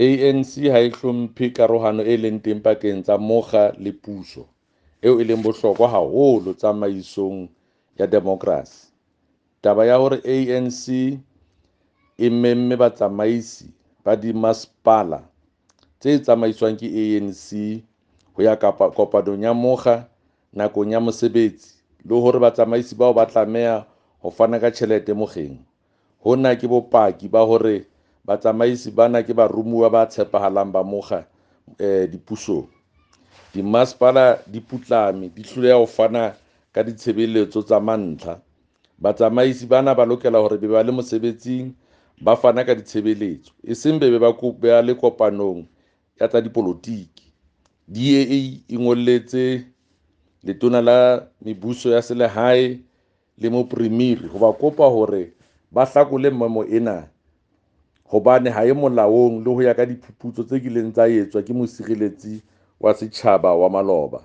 ANC ha e hlomphe karohano e leng teng pakeng tsa mokga le puso, eo e leng bohlokwa haholo tsamaisong ya demokerasi. Taba ya hore ANC e memme batsamaisi ba dimasepala tse tsamaiswang ke ANC ho ya kopanong ya mokga nakong ya mosebetsi le hore batsamaisi bao ba tlameha ho fana ka tjhelete mokgeng, hona ke bopaki ba hore batsamaisi bana ke baromuwa ba tshepahalang ba mokga dipusong. Dimasepala di putlame, di hloleha ho fana ka ditshebeletso tsa mantlha. Batsamaisi bana ba lokela hore be ba le mosebetsing, ba fana ka ditshebeletso, eseng be ba le kopanong ya tsa dipolotiki. DA e ngolletse Letona la Mebuso ya Selehae le Mopremiri ho ba kopa hore ba hlakole memo ena hobane ha e molaong le ho ya ka diphuputso tse kileng tsa etswa ke Mosireletsi wa Setjhaba wa maloba.